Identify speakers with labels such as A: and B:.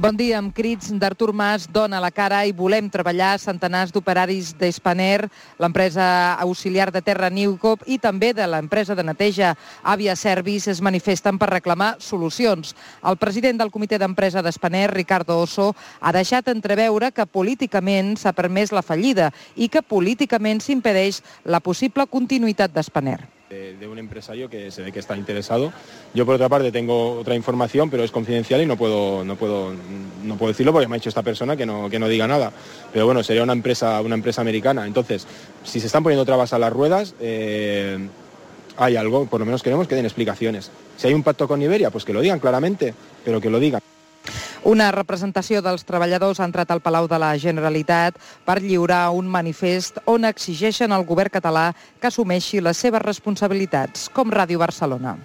A: Bon dia, amb crits d'Artur Mas, dona la cara i volem treballar centenars d'operaris d'Spanair, l'empresa auxiliar de terra Newcop i també de l'empresa de neteja Avia Service es manifesten per reclamar solucions. El president del comitè d'empresa d'Spanair, Ricardo Osso, ha deixat entreveure que políticament s'ha permès la fallida i que políticament s'impedeix la possible continuïtat d'Spanair.
B: De un empresario que se ve que está interesado. Yo por otra parte tengo otra información, pero es confidencial y no puedo decirlo porque me ha dicho esta persona que no diga nada. Pero bueno, sería una empresa americana. Entonces, si se están poniendo trabas a las ruedas, hay algo, por lo menos queremos que den explicaciones. Si hay un pacto con Iberia, pues que lo digan claramente, pero que lo digan.
A: Una representació dels treballadors ha entrat al Palau de la Generalitat per lliurar un manifest on exigeixen al govern català que assumeixi les seves responsabilitats, com Ràdio Barcelona.